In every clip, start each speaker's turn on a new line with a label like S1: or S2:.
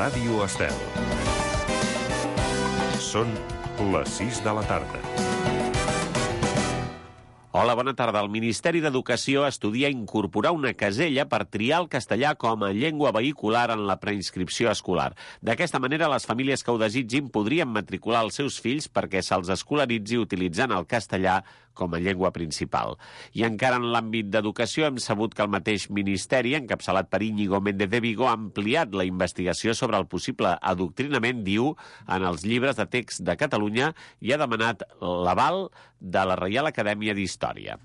S1: Ràdio Estel. Són les 6 de la tarda.
S2: Hola, bona tarda. El Ministeri d'Educació estudia incorporar una casella per triar el castellà com a llengua vehicular en la preinscripció escolar. D'aquesta manera, les famílies que ho desitgin podrien matricular els seus fills perquè se'ls escolaritzi utilitzant el castellà com a llengua principal. I encara en l'àmbit d'educació hem sabut que el mateix Ministeri, encapçalat per Íñigo Méndez de Vigo, ha ampliat la investigació sobre el possible adoctrinament, diu, en els llibres de text de Catalunya i ha demanat l'aval de la Reial Acadèmia d'Història.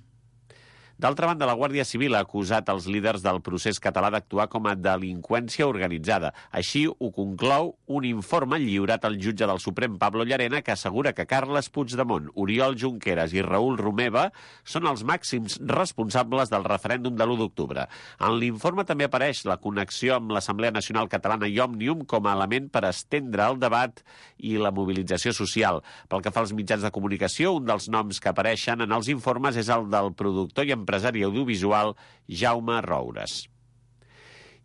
S2: D'altra banda, la Guàrdia Civil ha acusat els líders del procés català d'actuar com a delinqüència organitzada. Així ho conclou un informe lliurat al jutge del Suprem, Pablo Llarena, que assegura que Carles Puigdemont, Oriol Junqueras i Raül Romeva són els màxims responsables del referèndum de l'1 d'octubre. En l'informe també apareix la connexió amb l'Assemblea Nacional Catalana i Òmnium com a element per estendre el debat i la mobilització social. Pel que fa als mitjans de comunicació, un dels noms que apareixen en els informes és el del productor i empresari audiovisual Jaume Roures.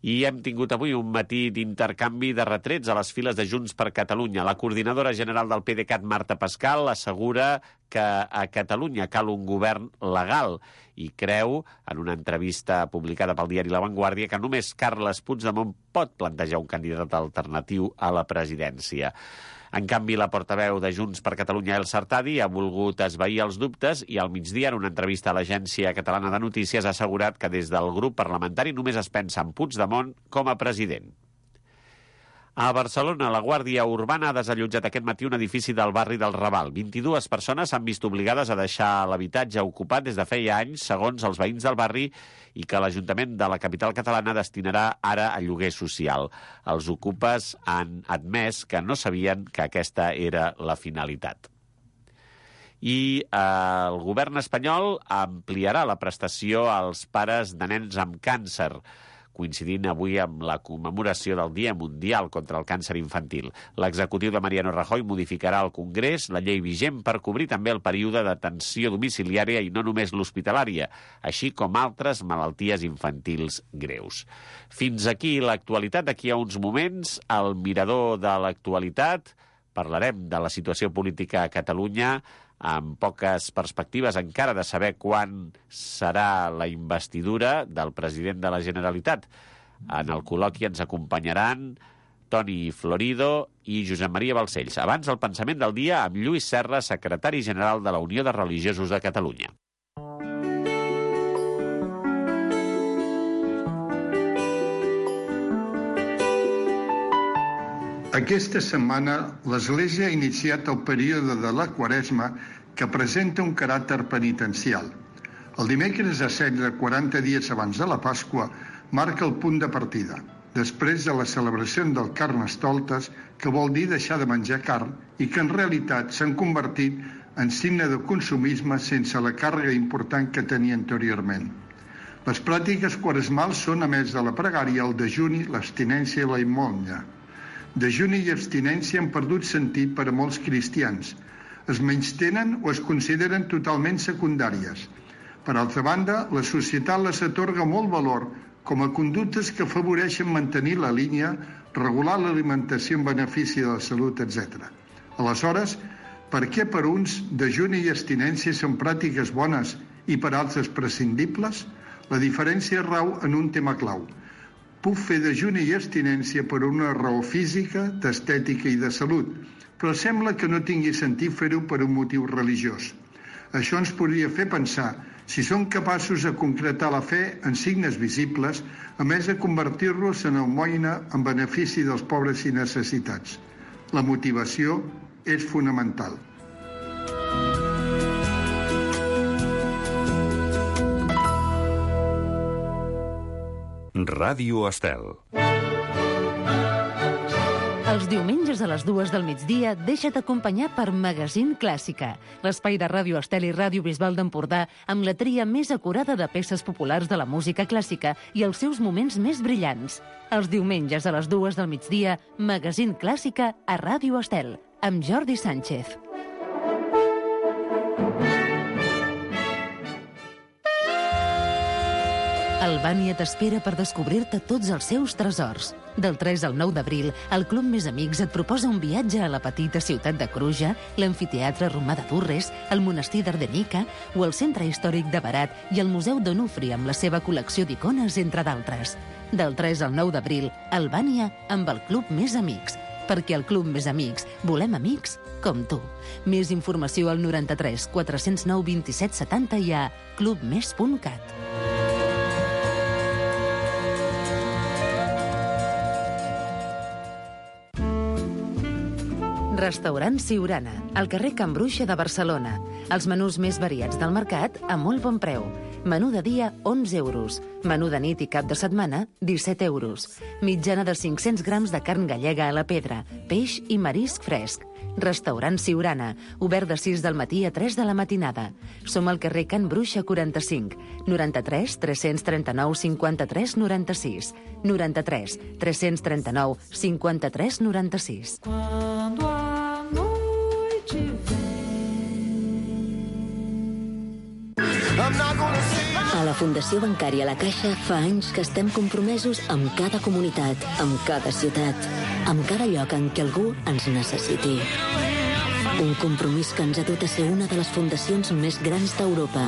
S2: I hem tingut avui un matí d'intercanvi de retrets a les files de Junts per Catalunya. La coordinadora general del PDeCAT, Marta Pascal, assegura que a Catalunya cal un govern legal i creu, en una entrevista publicada pel diari La Vanguardia, que només Carles Puigdemont pot plantejar un candidat alternatiu a la presidència. En canvi, la portaveu de Junts per Catalunya, Elsa Artadi, ha volgut esvair els dubtes i al migdia, en una entrevista a l'Agència Catalana de Notícies, ha assegurat que des del grup parlamentari només es pensa en Puigdemont com a president. A Barcelona, la Guàrdia Urbana ha desallotjat aquest matí un edifici del barri del Raval. 22 persones s'han vist obligades a deixar l'habitatge ocupat des de feia anys, segons els veïns del barri, i que l'Ajuntament de la capital catalana destinarà ara a lloguer social. Els ocupes han admès que no sabien que aquesta era la finalitat. I el govern espanyol ampliarà la prestació als pares de nens amb càncer, coincidint avui amb la commemoració del Dia Mundial contra el Càncer Infantil. L'executiu de Mariano Rajoy modificarà al Congrés la llei vigent per cobrir també el període d'atenció domiciliària i no només l'hospitalària, així com altres malalties infantils greus. Fins aquí l'actualitat. D'aquí a uns moments, al Mirador de l'actualitat, parlarem de la situació política a Catalunya, amb poques perspectives encara de saber quan serà la investidura del president de la Generalitat. En el col·loqui ens acompanyaran Toni Florido i Josep Maria Balcells. Abans, el pensament del dia amb Lluís Serra, secretari general de la Unió de Religiosos de Catalunya.
S3: Aquesta setmana l'Església ha iniciat el període de la Quaresma que presenta un caràcter penitencial. El dimecres a 16, 40 dies abans de la Pasqua, marca el punt de partida, després de la celebració del Carnestoltes, que vol dir deixar de menjar carn i que en realitat s'han convertit en signe de consumisme sense la càrrega important que tenia anteriorment. Les pràctiques quaresmals són, a més de la pregària, el dejuni, l'abstinència i la immonya. Dejuni i abstinència han perdut sentit per a molts cristians. Es menystenen o es consideren totalment secundàries. Per altra banda, la societat les atorga molt valor com a conductes que afavoreixen mantenir la línia, regular l'alimentació en benefici de la salut, etc. Aleshores, per què per uns dejuni i abstinència són pràctiques bones i per altres prescindibles? La diferència rau en un tema clau. Puc fer dejuni i abstinència per una raó física, d'estètica i de salut, però sembla que no tingui sentit fer-ho per un motiu religiós. Això ens podria fer pensar si són capaços de concretar la fe en signes visibles, a més de convertir-los en almoina en benefici dels pobres i necessitats. La motivació és fonamental.
S1: Ràdio Estel.
S4: Els diumenges a les 2 del migdia deixa't acompanyar per Magazín Clàssica, l'espai de Ràdio Estel i Ràdio Bisbal d'Empordà amb la tria més acurada de peces populars de la música clàssica i els seus moments més brillants. Els diumenges a les 2 del migdia, Magazín Clàssica a Ràdio Estel, amb Jordi Sánchez. Albània t'espera per descobrir-te tots els seus tresors. Del 3 al 9 d'abril, el Club Més Amics et proposa un viatge a la petita ciutat de Cruja, l'amfiteatre romà de Durres, el monestir d'Ardenica o el centre històric de Berat i el Museu d'Onufri amb la seva col·lecció d'icones, entre d'altres. Del 3 al 9 d'abril, Albània amb el Club Més Amics. Perquè al Club Més Amics volem amics com tu. Més informació al 93 409 27 70 i a clubmes.cat. Restaurant Siurana, al carrer Can Bruixa de Barcelona. Els menús més variats del mercat a molt bon preu. Menú de dia, 11 euros. Menú de nit i cap de setmana, 17 euros. Mitjana de 500 grams de carn gallega a la pedra, peix i marisc fresc. Restaurant Siurana, obert de 6 del matí a 3 de la matinada. Som al carrer Can Bruixa 45, 93 339 53 96, 93 339 53 96.
S5: Quando a noite
S6: A la Fundació Bancària La Caixa fa anys que estem compromesos amb cada comunitat, amb cada ciutat, amb cada lloc en què algú ens necessiti. Un compromís que ens ha dut a ser una de les fundacions més grans d'Europa.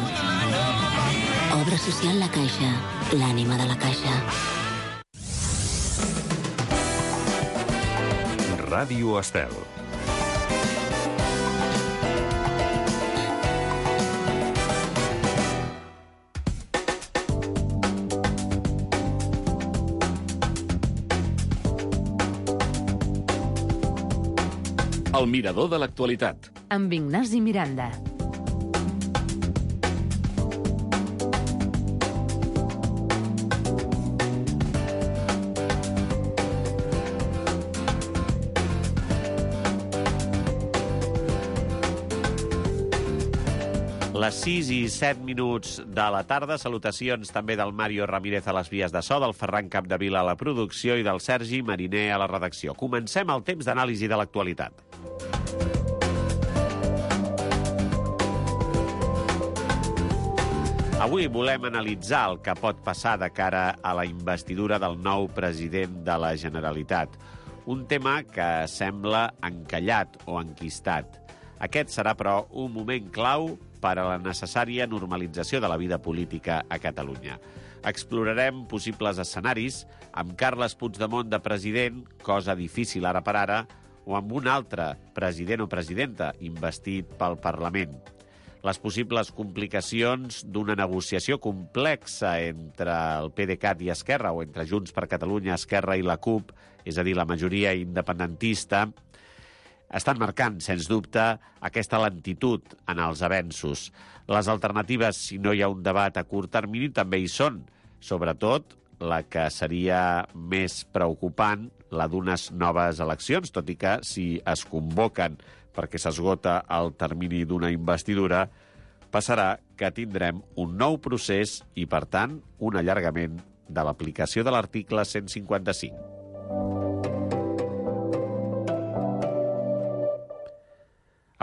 S6: Obra social La Caixa, l'ànima de la Caixa.
S1: Ràdio Estel. El mirador de l'actualitat.
S4: Amb Ignasi Miranda.
S2: Les 6 i 7 minuts de la tarda. Salutacions també del Mario Ramírez a les vies de so, del Ferran Capdevila a la producció i del Sergi Mariner a la redacció. Comencem el temps d'anàlisi de l'actualitat. Avui volem analitzar el que pot passar de cara a la investidura del nou president de la Generalitat. Un tema que sembla encallat o enquistat. Aquest serà, però, un moment clau per a la necessària normalització de la vida política a Catalunya. Explorarem possibles escenaris amb Carles Puigdemont de president, cosa difícil ara per ara, o amb un altre president o presidenta investit pel Parlament. Les possibles complicacions d'una negociació complexa entre el PDeCAT i Esquerra, o entre Junts per Catalunya, Esquerra i la CUP, és a dir, la majoria independentista, estan marcant, sens dubte, aquesta lentitud en els avenços. Les alternatives, si no hi ha un debat a curt termini, també hi són. Sobretot, la que seria més preocupant, la d'unes noves eleccions, tot i que si es convoquen perquè s'esgota el termini d'una investidura, passarà que tindrem un nou procés i, per tant, un allargament de l'aplicació de l'article 155.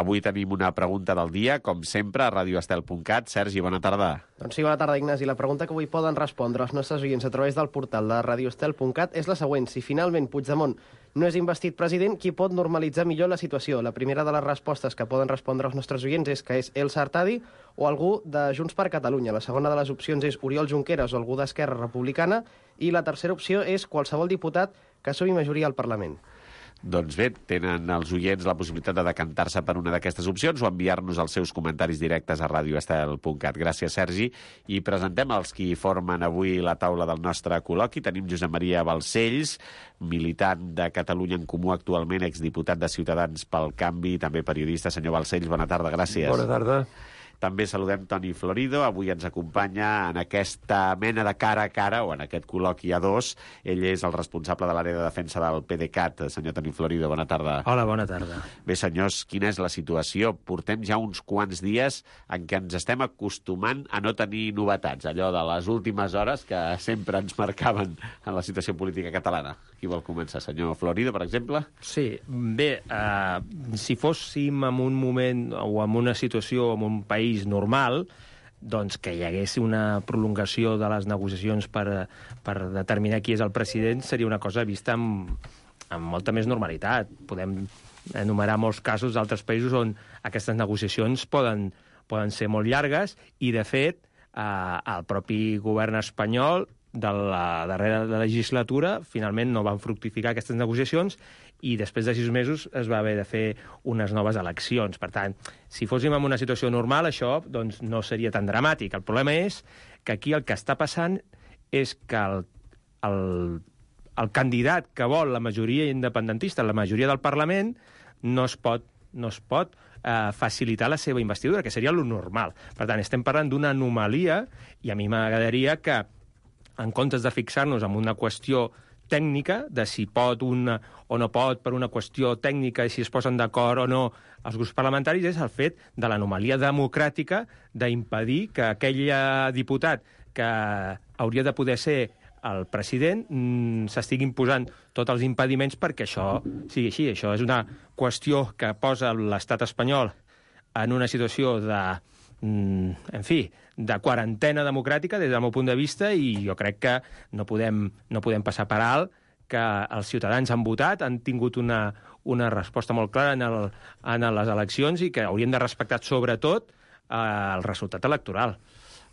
S2: Avui tenim una pregunta del dia, com sempre, a radioestel.cat. Sergi, bona tarda.
S7: Doncs sí, bona tarda, Ignasi. La pregunta que avui poden respondre els nostres oients a través del portal de radioestel.cat és la següent. Si finalment Puigdemont no és investit president, qui pot normalitzar millor la situació? La primera de les respostes que poden respondre els nostres oients és que és Elsa Artadi o algú de Junts per Catalunya. La segona de les opcions és Oriol Junqueras o algú d'Esquerra Republicana. I la tercera opció és qualsevol diputat que sumi majoria al Parlament.
S2: Doncs bé, tenen els oients la possibilitat de decantar-se per una d'aquestes opcions o enviar-nos els seus comentaris directes a radioestel.cat. Gràcies, Sergi. I presentem els qui formen avui la taula del nostre col·loqui. Tenim Josep Maria Balcells, militant de Catalunya en Comú actualment, exdiputat de Ciutadans pel Canvi, també periodista. Senyor Balcells, bona tarda, gràcies.
S8: Bona tarda.
S2: També saludem Toni Florido, avui ens acompanya en aquesta mena de cara a cara, o en aquest col·loqui a dos. Ell és el responsable de l'àrea de defensa del PDeCAT. Senyor Toni Florido, bona tarda.
S8: Hola, bona tarda.
S2: Bé, senyors, quina és la situació? Portem ja uns quants dies en què ens estem acostumant a no tenir novetats, allò de les últimes hores que sempre ens marcaven en la situació política catalana. Qui vol començar? Senyor Florido, per exemple?
S8: Sí, bé, si fóssim en un moment o en una situació, en un país normal, doncs que hi hagués una prolongació de les negociacions per determinar qui és el president seria una cosa vista amb molta més normalitat. Podem enumerar molts casos d'altres països on aquestes negociacions poden ser molt llargues i, de fet, el propi govern espanyol de la darrera legislatura finalment no van fructificar aquestes negociacions i després de 6 mesos es va haver de fer unes noves eleccions. Per tant, si fóssim en una situació normal, això doncs, no seria tan dramàtic. El problema és que aquí el que està passant és que el candidat que vol la majoria independentista, la majoria del Parlament, no es pot facilitar la seva investidura, que seria lo normal. Per tant, estem parlant d'una anomalia i a mi m'agradaria que, en comptes de fixar-nos en una qüestió tècnica, de si pot o no pot per una qüestió tècnica i si es posen d'acord o no els grups parlamentaris, és el fet de l'anomalia democràtica d'impedir que aquell diputat que hauria de poder ser el president s'estiguin posant tots els impediments perquè això sigui així. Això és una qüestió que posa l'estat espanyol en una situació de quarantena democràtica des del meu punt de vista i jo crec que no podem passar per alt que els ciutadans han votat, han tingut una resposta molt clara en les eleccions i que haurien de respectar sobretot el resultat electoral.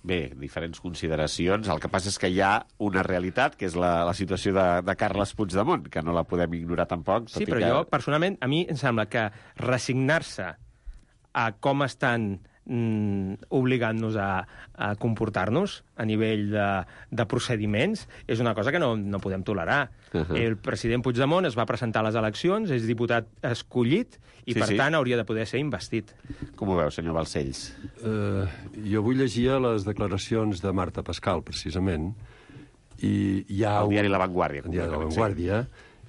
S2: Bé, diferents consideracions. El que passa és que hi ha una realitat, que és la situació de Carles Puigdemont, que no la podem ignorar tampoc.
S8: Sí, però jo, personalment, a mi em sembla que resignar-se a com estan obligant-nos a comportar-nos a nivell de procediments és una cosa que no podem tolerar. El president Puigdemont es va presentar a les eleccions, és diputat escollit i, per tant, hauria de poder ser investit.
S2: Com ho veu, senyor Balcells?
S9: Jo avui llegia les declaracions de Marta Pascal, precisament, i hi ha...
S2: El diari La Vanguardia.
S9: El diari La Vanguardia.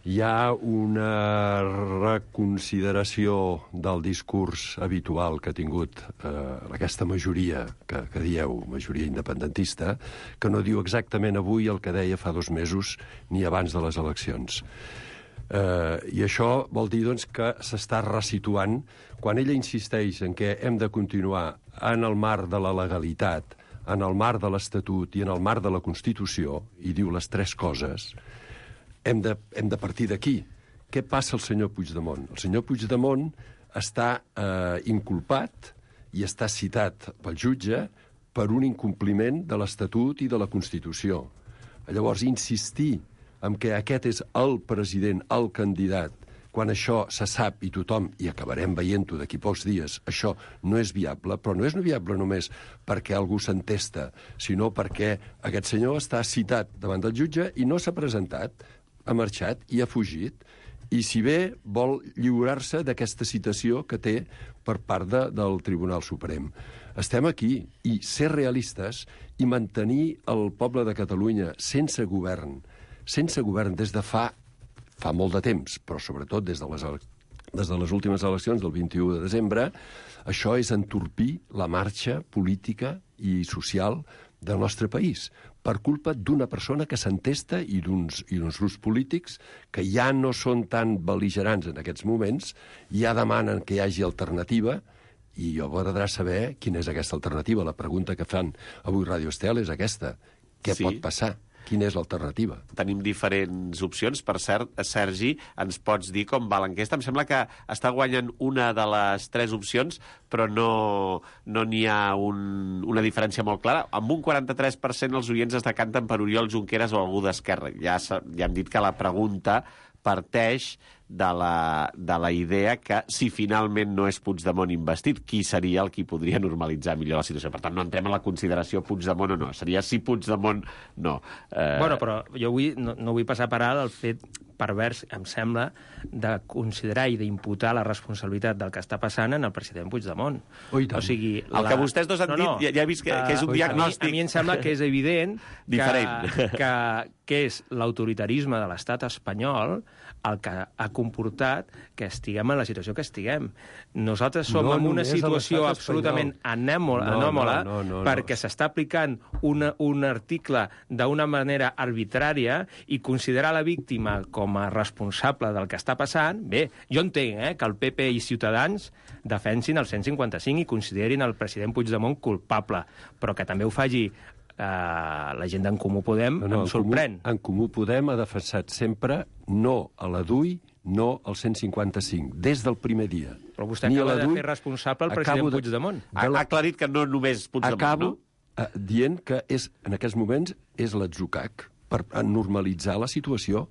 S9: Hi ha una reconsideració del discurs habitual que ha tingut aquesta majoria, que dieu, majoria independentista, que no diu exactament avui el que deia fa 2 mesos ni abans de les eleccions. I això vol dir doncs, que s'està resituant quan ella insisteix en que hem de continuar en el marc de la legalitat, en el marc de l'Estatut i en el marc de la Constitució, i diu les 3 coses. Hem de partir d'aquí. Què passa al senyor Puigdemont? El senyor Puigdemont està inculpat i està citat pel jutge per un incompliment de l'Estatut i de la Constitució. Llavors, insistir en que aquest és el president, el candidat, quan això se sap i tothom, i acabarem veient-ho d'aquí pocs dies, això no és viable, però no és viable només perquè algú s'entesta, sinó perquè aquest senyor està citat davant del jutge i no s'ha presentat, ha marxat i ha fugit, i si bé vol lliurar-se d'aquesta citació que té per part del Tribunal Suprem. Estem aquí, i ser realistes i mantenir el poble de Catalunya sense govern des de fa molt de temps, però sobretot des de les últimes eleccions del 21 de desembre, això és entorpir la marxa política i social del nostre país, per culpa d'una persona que s'entesta i d'uns grups polítics que ja no són tan bel·ligerants en aquests moments, ja demanen que hi hagi alternativa, i jo m'agradarà saber quina és aquesta alternativa. La pregunta que fan avui Ràdio Estel és aquesta. Què pot passar? Quina és l'alternativa?
S2: Tenim diferents opcions. Per cert, Sergi, ens pots dir com va l'enquesta? Em sembla que està guanyant una de les 3 opcions, però no n'hi ha una diferència molt clara. Amb un 43% els oients es decanten per Oriol Junqueras o algú d'Esquerra. Ja hem dit que la pregunta parteix de la idea que si finalment no és Puigdemont investit, qui seria el qui podria normalitzar millor la situació? Per tant, no entrem en la consideració Puigdemont o no. Seria si Puigdemont no.
S8: Bueno, però jo no vull passar per alt el fet pervers, em sembla, de considerar i d'imputar la responsabilitat del que està passant en el president Puigdemont.
S9: Oh, o
S2: sigui, el que vostès dos han dit, ja he vist que és un diagnòstic...
S8: A mi em sembla que és evident que és l'autoritarisme de l'estat espanyol el que ha comportat que estiguem en la situació que estiguem. Nosaltres som en una situació absolutament anòmala perquè s'està aplicant un article d'una manera arbitrària i considerar la víctima com com a responsable del que està passant, bé, jo entenc que el PP i Ciutadans defensin el 155 i considerin el president Puigdemont culpable, però que també ho faci la gent d'en Comú Podem em sorprèn.
S9: En Comú Podem ha defensat sempre no a la DUI, no al 155, des del primer dia.
S8: Però vostè acaba de fer responsable el president Puigdemont.
S2: Ha aclarit que no només Puigdemont,
S9: no? Acabo dient que en aquests moments és l'atzucac per normalitzar la situació.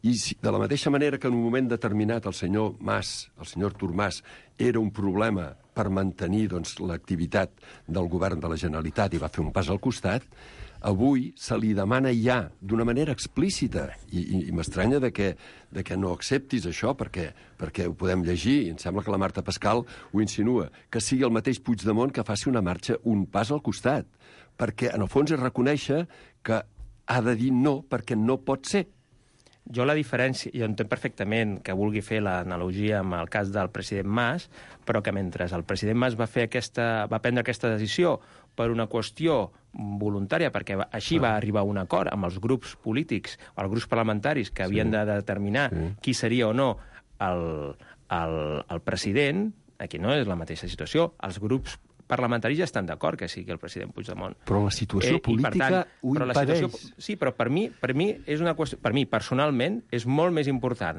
S9: I de la mateixa manera que en un moment determinat el senyor Mas, el senyor Artur Mas, era un problema per mantenir l'activitat del govern de la Generalitat i va fer un pas al costat, avui se li demana ja, d'una manera explícita, i m'estranya que no acceptis això, perquè ho podem llegir, i em sembla que la Marta Pascal ho insinua, que sigui el mateix Puigdemont que faci una marxa, un pas al costat, perquè en el fons és reconèixer que ha de dir no perquè no pot ser.
S8: Jo la diferència, jo entenc perfectament que vulgui fer l'analogia amb el cas del president Mas, però que mentre el president Mas va prendre aquesta decisió per una qüestió voluntària, perquè així va arribar a un acord amb els grups polítics o els grups parlamentaris que havien de determinar qui seria o no el president, aquí no és la mateixa situació, els grups parlamentaris ja estan d'acord que sigui el president Puigdemont.
S9: Però la situació política ho impedeix.
S8: Sí, però per mi és una qüestió... Per mi, personalment, és molt més important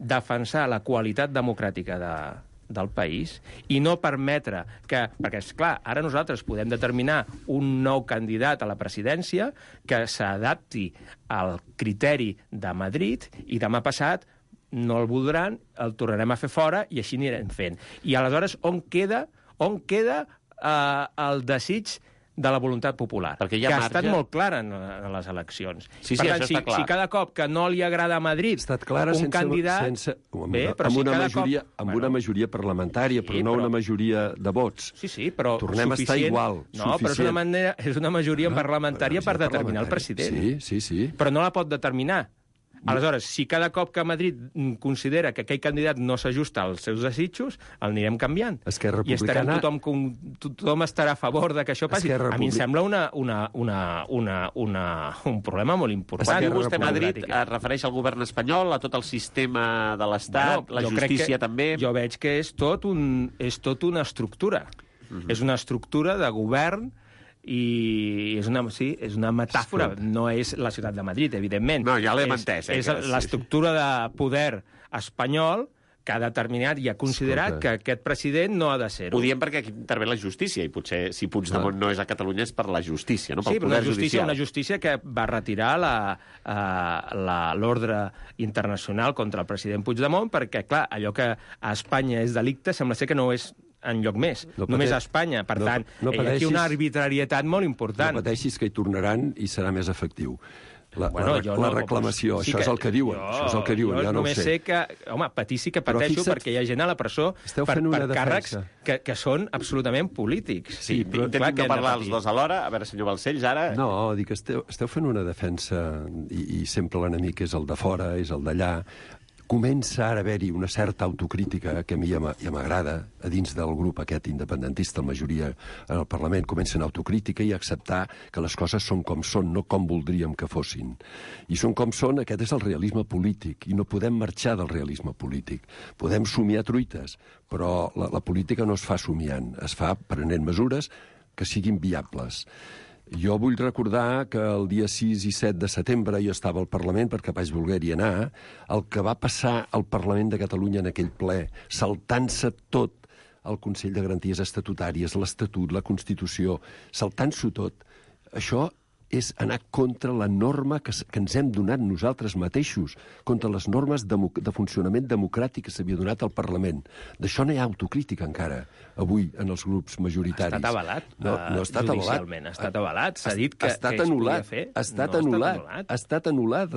S8: defensar la qualitat democràtica del país i no permetre que... Perquè, esclar, ara nosaltres podem determinar un nou candidat a la presidència que s'adapti al criteri de Madrid i demà passat no el voldran, el tornarem a fer fora i així anirem fent. I aleshores, on queda el desig de la voluntat popular, que ha estat molt clara en les eleccions.
S2: Sí,
S8: per tant,
S2: això està clar.
S8: si cada cop que no li agrada a Madrid un candidat...
S9: Amb una majoria parlamentària, però no una majoria de vots.
S8: Sí, però
S9: tornem a estar igual.
S8: No, però és una majoria parlamentària per determinar el president.
S9: Sí.
S8: Però no la pot determinar. Aleshores, si cada cop que Madrid considera que aquell candidat no s'ajusta als seus desitjos, el anirem canviant.
S9: Esquerra Republicana...
S8: I tothom estarà a favor de que això passi. A mi em sembla un problema molt important.
S2: Quan vostè Madrid es refereix al govern espanyol, a tot el sistema de l'Estat, la justícia també...
S8: Jo veig que és tot una estructura. És una estructura de govern i és una metàfora, no és la ciutat de Madrid, evidentment.
S2: No, ja l'hem entès.
S8: És l'estructura de poder espanyol que ha determinat i ha considerat que aquest president no ha de ser-ho.
S2: Ho diem perquè aquí intervé la justícia, i potser si Puigdemont no és a Catalunya és per la justícia, no? Pel
S8: poder
S2: judicial.
S8: Una justícia que va retirar l'ordre internacional contra el president Puigdemont perquè, clar, allò que a Espanya és delicte sembla ser que no és enlloc més, només a Espanya. Per tant, hi ha aquí una arbitrarietat molt important.
S9: No pateixis que hi tornaran i serà més efectiu. La reclamació, això és el que diuen. Jo
S8: només sé que... Home, patir sí que pateixo perquè hi ha gent a la presó per càrrecs que són absolutament polítics.
S2: Sí, però intentem no parlar els dos alhora. A veure, senyor Balcells, ara...
S9: No, dic, esteu fent una defensa i sempre l'enemic és el de fora, és el d'allà. Comença ara a haver-hi una certa autocrítica que a mi ja m'agrada, a dins del grup aquest independentista, la majoria en el Parlament, comencen autocrítica i acceptar que les coses són com són, no com voldríem que fossin. I són com són, aquest és el realisme polític, i no podem marxar del realisme polític. Podem somiar truites, però la política no es fa somiant, es fa prenent mesures que siguin viables. Jo vull recordar que el dia 6 i 7 de setembre jo estava al Parlament perquè vaig voler-hi anar. El que va passar al Parlament de Catalunya en aquell ple, saltant-se tot el Consell de Garanties Estatutàries, l'Estatut, la Constitució, saltant-s'ho tot, això és anar contra la norma que ens hem donat nosaltres mateixos, contra les normes de funcionament democràtic que s'havia donat al Parlament. D'això no hi ha autocrítica encara, avui, en els grups majoritaris.
S8: Ha estat avalat?
S9: No ha estat
S8: judicialment. Ha estat avalat? S'ha dit que es podia fer?
S9: Ha estat anul·lat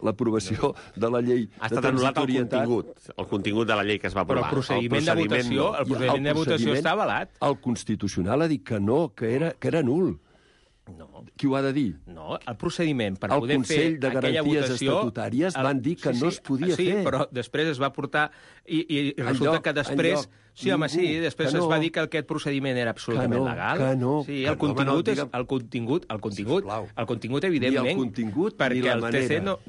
S9: l'aprovació de la llei de transitorietat.
S2: El contingut de la llei que es va aprovar.
S8: Però el procediment de votació està avalat.
S9: El Constitucional ha dit que no, que era nul.
S8: No.
S9: Qui ho ha de dir?
S8: No, el procediment per poder fer aquella votació...
S9: El Consell de Garanties Estatutàries van dir que no es podia fer.
S8: Sí, però després es va portar... I resulta que després... Després es va dir que aquest procediment era absolutament legal. Sí, el contingut, evidentment, perquè el TC no...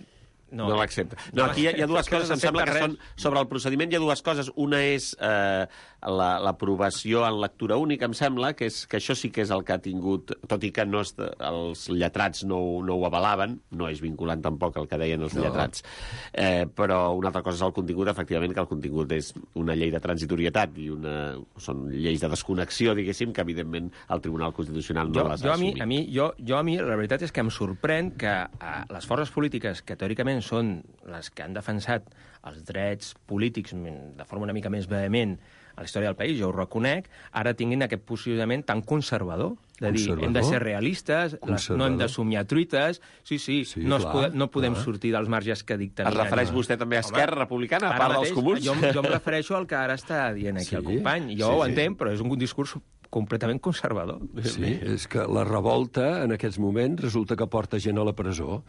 S2: No l'accepta. No, aquí hi ha dues coses, em sembla que són... Sobre el procediment hi ha dues coses. Una és l'aprovació en lectura única, em sembla, que això sí que és el que ha tingut, tot i que els lletrats no ho avalaven, no és vinculant tampoc el que deien els lletrats, però una altra cosa és el contingut, efectivament, que el contingut és una llei de transitorietat i són lleis de desconnexió, diguéssim, que evidentment el Tribunal Constitucional no les ha assumit.
S8: A mi, la veritat és que em sorprèn que les forces polítiques que teòricament són les que han defensat els drets polítics de forma una mica més vehement a la història del país, jo ho reconec, ara tinguin aquest posicionament tan conservador, de dir, hem de ser realistes, no hem de somiar truites, no podem sortir dels marges que dicten.
S2: Es refereix vostè també a Esquerra Republicana, a part dels comuns?
S8: Jo em refereixo al que ara està dient aquí el company. Jo ho entenc, però és un discurs completament conservador.
S9: Sí, és que la revolta en aquests moments resulta que porta gent a la presó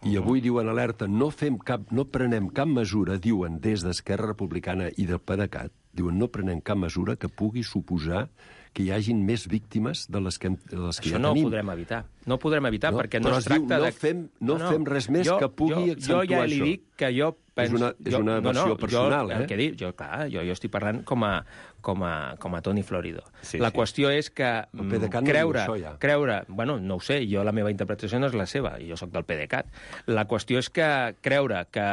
S9: i avui diuen alerta, no prenem cap mesura, diuen des d'Esquerra Republicana i del PDeCAT, diuen no prenem cap mesura que pugui suposar que hi hagin més víctimes de les que ja tenim.
S8: Això no ho podrem evitar. No ho podrem evitar perquè no es tracta de...
S9: No fem res més que pugui accentuar això.
S8: Jo ja li dic que jo penso...
S9: És una versió personal,
S8: el que dic, jo estic parlant com a Toni Florido. La qüestió és que creure... Bueno, no ho sé, jo la meva interpretació no és la seva, jo sóc del PDeCAT. La qüestió és que creure que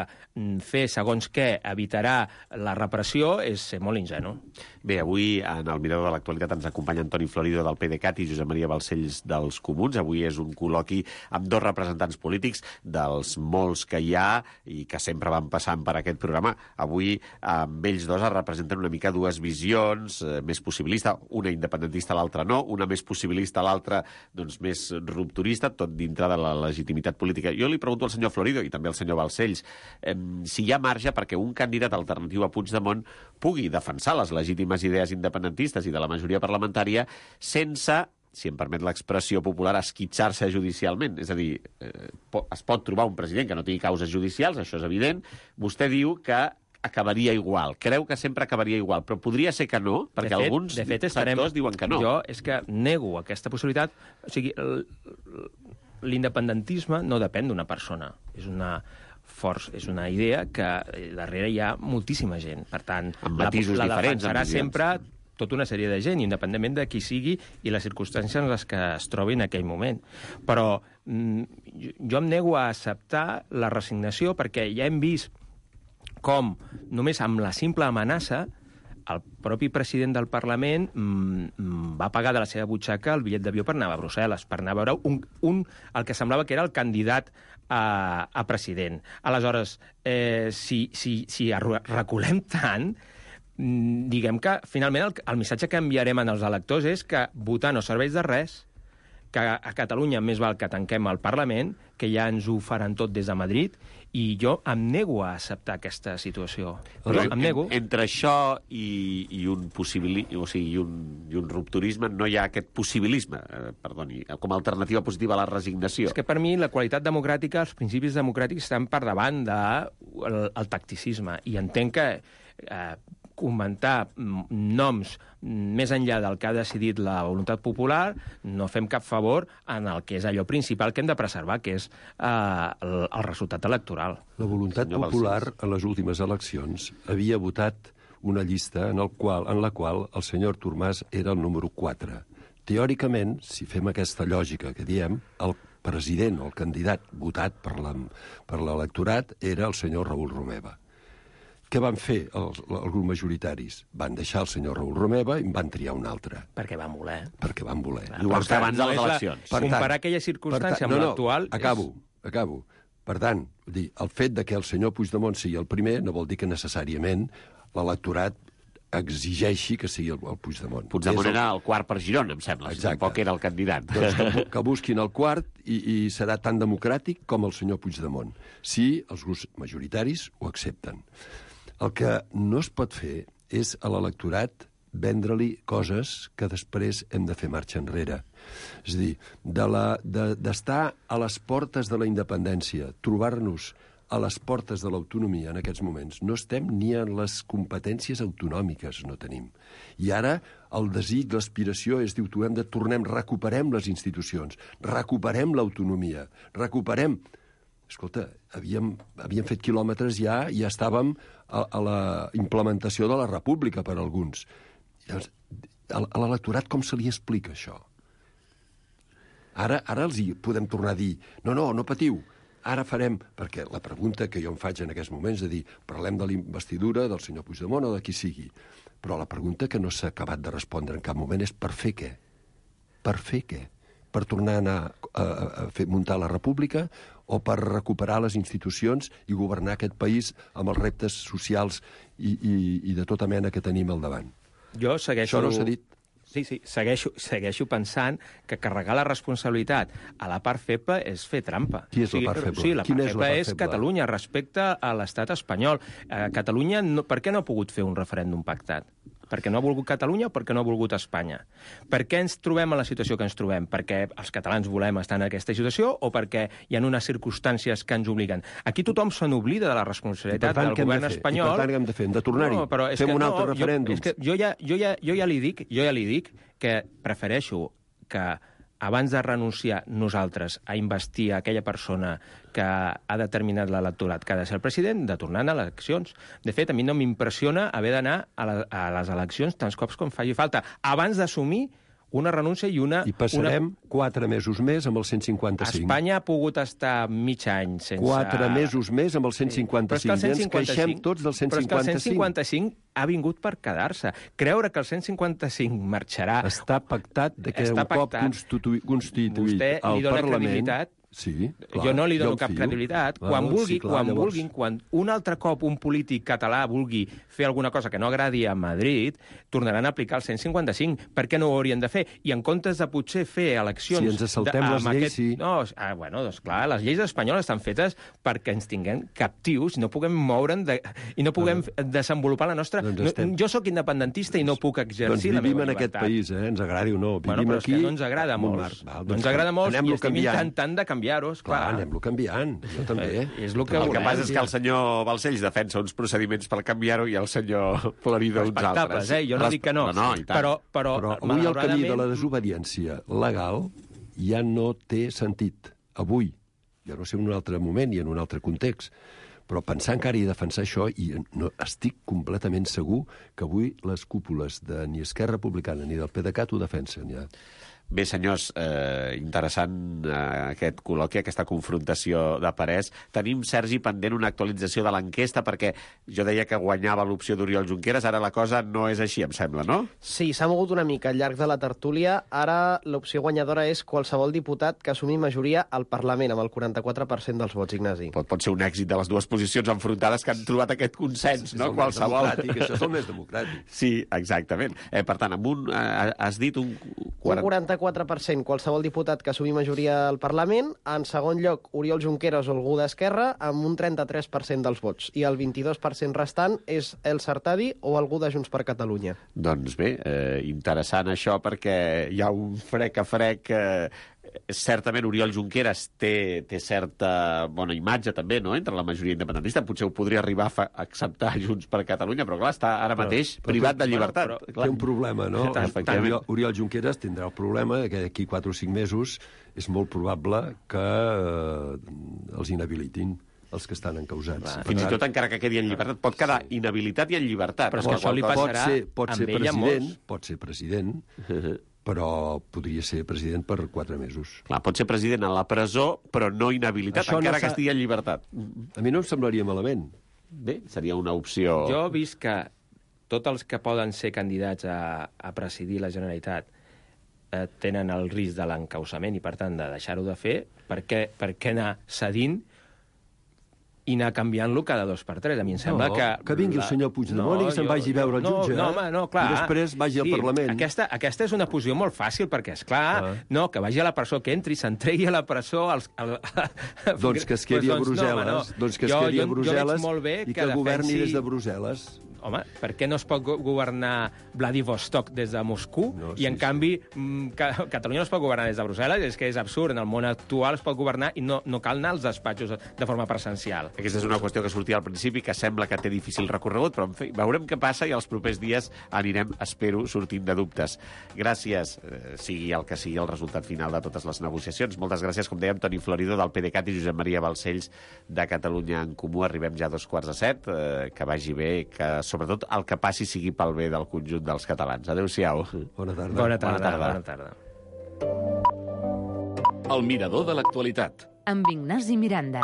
S8: fer segons què evitarà la repressió és ser molt ingenu.
S2: Bé, avui en el Mirador de l'Actualitat ens acompanya Toni Florido del PDeCAT i Josep Maria Balcells dels Comuns. Avui és un col·loqui amb dos representants polítics dels molts que hi ha i que sempre van passant per aquest programa. Avui amb ells dos es representen una mica dues visions, més possibilista, una independentista, l'altra no, una més possibilista, l'altra doncs, més rupturista, tot dintre de la legitimitat política. Jo li pregunto al senyor Florido i també al senyor Balcells si hi ha marge perquè un candidat alternatiu a Puigdemont pugui defensar les legítimes idees independentistes i de la majoria parlamentària sense, si em permet l'expressió popular, esquitxar-se judicialment. És a dir, es pot trobar un president que no tingui causes judicials, això és evident. Vostè diu que acabaria igual. Creu que sempre acabaria igual, però podria ser que no, perquè alguns sectors diuen que no.
S8: Jo és que nego aquesta possibilitat. O sigui, l'independentisme no depèn d'una persona. És una idea que darrere hi ha moltíssima gent. Per tant, la defensarà sempre tota una sèrie de gent, independentment de qui sigui i les circumstàncies en les que es trobi en aquell moment. Però jo em nego a acceptar la resignació perquè ja hem vist com només amb la simple amenaça el propi president del Parlament va pagar de la seva butxaca el bitllet d'avió per anar a Brussel·les, per anar a veure el que semblava que era el candidat a president. Aleshores, si reculem tant, diguem que finalment el missatge que enviarem als electors és que votar no serveix de res, que a Catalunya més val que tanquem el Parlament, que ja ens ho faran tot des de Madrid, i jo em nego a acceptar aquesta situació. Però em nego.
S2: Entre això i un rupturisme no hi ha aquest possibilisme, com a alternativa positiva a la resignació.
S8: És que per mi la qualitat democràtica, els principis democràtics estan per davant del tacticisme, i entenc que comentar noms més enllà del que ha decidit la voluntat popular, no fem cap favor en el que és allò principal que hem de preservar, que és el resultat electoral.
S9: La voluntat popular en les últimes eleccions havia votat una llista en la qual el senyor Artur Mas era el número 4. Teòricament, si fem aquesta lògica que diem, el president o el candidat votat per l'electorat era el senyor Raül Romeva. Què van fer els grups majoritaris? Van deixar el senyor Raül Romeva i en van triar un altre.
S8: Perquè van voler.
S2: I ho van fer abans de les eleccions.
S8: Comparar aquella circumstància amb l'actual...
S9: Acabo. Per tant, el fet que el senyor Puigdemont sigui el primer no vol dir que necessàriament l'electorat exigeixi que sigui el Puigdemont.
S2: Puigdemont era el quart per Girona, em sembla. Tampoc era el candidat.
S9: Doncs que busquin el quart i serà tan democràtic com el senyor Puigdemont, si els grups majoritaris ho accepten. El que no es pot fer és a l'electorat vendre-li coses que després hem de fer marxa enrere. És a dir, d'estar a les portes de la independència, trobar-nos a les portes de l'autonomia en aquests moments. No estem ni en les competències autonòmiques, no tenim. I ara el desig, l'aspiració és, recuperem les institucions, recuperem l'autonomia, recuperem... escolta, havíem fet quilòmetres ja i ja estàvem a la implementació de la república per alguns. Llavors, a l'electorat com se li explica això? Ara els hi podem tornar a dir no patiu, ara farem... Perquè la pregunta que jo em faig en aquests moments és dir, parlem de la investidura del senyor Puigdemont o de qui sigui, però la pregunta que no s'ha acabat de respondre en cap moment és per fer què? Per fer què? Per tornar a anar a muntar la república o per recuperar les institucions i governar aquest país amb els reptes socials i de tota mena que tenim al davant.
S8: Jo segueixo...
S9: Això no s'ha dit.
S8: Sí, segueixo pensant que carregar la responsabilitat a la part feble és fer trampa.
S9: Qui és la part feble?
S8: Sí, la part feble és Catalunya respecte a l'estat espanyol. Catalunya, per què no ha pogut fer un referèndum pactat? Perquè no ha volgut Catalunya o perquè no ha volgut Espanya? Per què ens trobem en la situació que ens trobem? Perquè els catalans volem estar en aquesta situació o perquè hi ha unes circumstàncies que ens obliguen? Aquí tothom se n'oblida de la responsabilitat del govern espanyol.
S9: I per tant, què hem de fer? Hem de tornar-hi? Fem un altre referèndum?
S8: Jo ja li dic que prefereixo que abans de renunciar nosaltres a investir aquella persona que ha determinat l'electorat que ha de ser el president, de tornar a eleccions. De fet, a mi no m'impressiona haver d'anar a les eleccions tants cops com faci falta, abans d'assumir una renúncia i una...
S9: I passarem 4 mesos més amb el 155.
S8: Espanya ha pogut estar mig any sense...
S9: 4 mesos més amb el 155. I ens queixem tots del 155. Però és que el 155
S8: ha vingut per quedar-se. Creure que el 155 marxarà...
S9: Està pactat que un cop constituït
S8: vostè
S9: al
S8: li dona
S9: Parlament...
S8: credibilitat.
S9: Sí, clar,
S8: jo no li dono cap credibilitat. Quan un altre cop un polític català vulgui fer alguna cosa que no agradi a Madrid, tornaran a aplicar el 155. Per què no ho haurien de fer? I en comptes de potser fer eleccions...
S9: Si ens saltem les lleis, sí.
S8: No, doncs clar, les lleis espanyoles estan fetes perquè ens tinguem captius i no puguem moure'n i no puguem desenvolupar la nostra... Jo sóc independentista i no puc exercir la meva llibertat.
S9: Vivim en aquest país, ens agradi o no.
S8: Vivim aquí... Però és que no ens agrada molt. No ens agrada molt i estem intentant de canviar-ho, esclar.
S9: Anem-lo canviant, jo també.
S2: El que passa és que el senyor Balcells defensa uns procediments per canviar-ho i el senyor Florido uns altres.
S8: Jo no dic que no. Però
S9: avui el camí de la desobediència legal ja no té sentit. Avui, ja no sé en un altre moment i en un altre context, però pensar encara i defensar això, i no, estic completament segur que avui les cúpules de ni Esquerra Republicana ni del PDeCAT ho defensen ja.
S2: Bé, senyors, interessant aquest col·loqui, aquesta confrontació de parers. Tenim, Sergi, pendent una actualització de l'enquesta, perquè jo deia que guanyava l'opció d'Oriol Junqueras, ara la cosa no és així, em sembla, no?
S7: Sí, s'ha mogut una mica al llarg de la tertúlia. Ara l'opció guanyadora és qualsevol diputat que assumi majoria al Parlament, amb el 44% dels vots, Ignasi.
S2: Pot ser un èxit de les dues posicions enfrontades que han trobat aquest consens, no?
S9: Qualsevol. Això és el més democràtic.
S2: Sí, exactament. Per tant, amb un, has dit un
S7: 44% qualsevol diputat que assumi majoria al Parlament. En segon lloc, Oriol Junqueras o algú d'Esquerra, amb un 33% dels vots. I el 22% restant és el Sartadi o algú de Junts per Catalunya.
S2: Doncs bé, interessant això, perquè hi ha un frec a frec... Certament Oriol Junqueras té certa bona imatge també, no?, entre la majoria independentista. Potser ho podria arribar a acceptar Junts per Catalunya, però clar, està ara mateix privat de llibertat.
S9: Té un problema, no? Oriol Junqueras tindrà el problema que d'aquí 4 o 5 mesos és molt probable que els inhabilitin els que estan encausats.
S2: Fins i tot encara que quedi en llibertat. Pot quedar inhabilitat i en llibertat.
S8: Però és que això li passarà
S9: amb ell a molts. Pot ser president, però podria ser president per 4 mesos.
S2: Clar, pot ser president a la presó, però no inhabilitat, això encara que estigui en llibertat.
S9: A mi no em semblaria malament.
S2: Bé, seria una opció...
S8: Jo he vist que tots els que poden ser candidats a presidir la Generalitat tenen el risc de l'encausament i, per tant, de deixar-ho de fer. Per què anar cedint i anar canviant-lo cada 2 per 3. A mi em sembla
S9: que vingui el senyor Puigdemont i que se'n vagi a veure el jutge.
S8: Clar.
S9: I després vagi al Parlament.
S8: Aquesta és una posició molt fàcil, perquè, esclar, que vagi a la presó, que entri, s'entregui a la presó...
S9: Doncs que es quedi a Brussel·les. Doncs que es quedi a Brussel·les i que governi des de Brussel·les.
S8: home, per què no es pot governar Vladivostok des de Moscou i, en canvi, Catalunya no es pot governar des de Brussel·les? És que és absurd. En el món actual es pot governar i no cal anar als despatxos de forma presencial.
S2: Aquesta és una qüestió que sortia al principi, que sembla que té difícil recorregut, però, en fi, veurem què passa i els propers dies anirem, espero, sortint de dubtes. Gràcies, sigui el que sigui el resultat final de totes les negociacions. Moltes gràcies, com dèiem, Toni Florido, del PDeCAT, i Josep Maria Balcells, de Catalunya en Comú. Arribem ja a 2:45, que vagi bé, que sobretot el que passi sigui pel bé del conjunt dels catalans. Adéu-siau.
S9: Bona tarda.
S8: Bona tarda. Bona tarda.
S1: El mirador de l'actualitat.
S4: Amb Ignasi Miranda.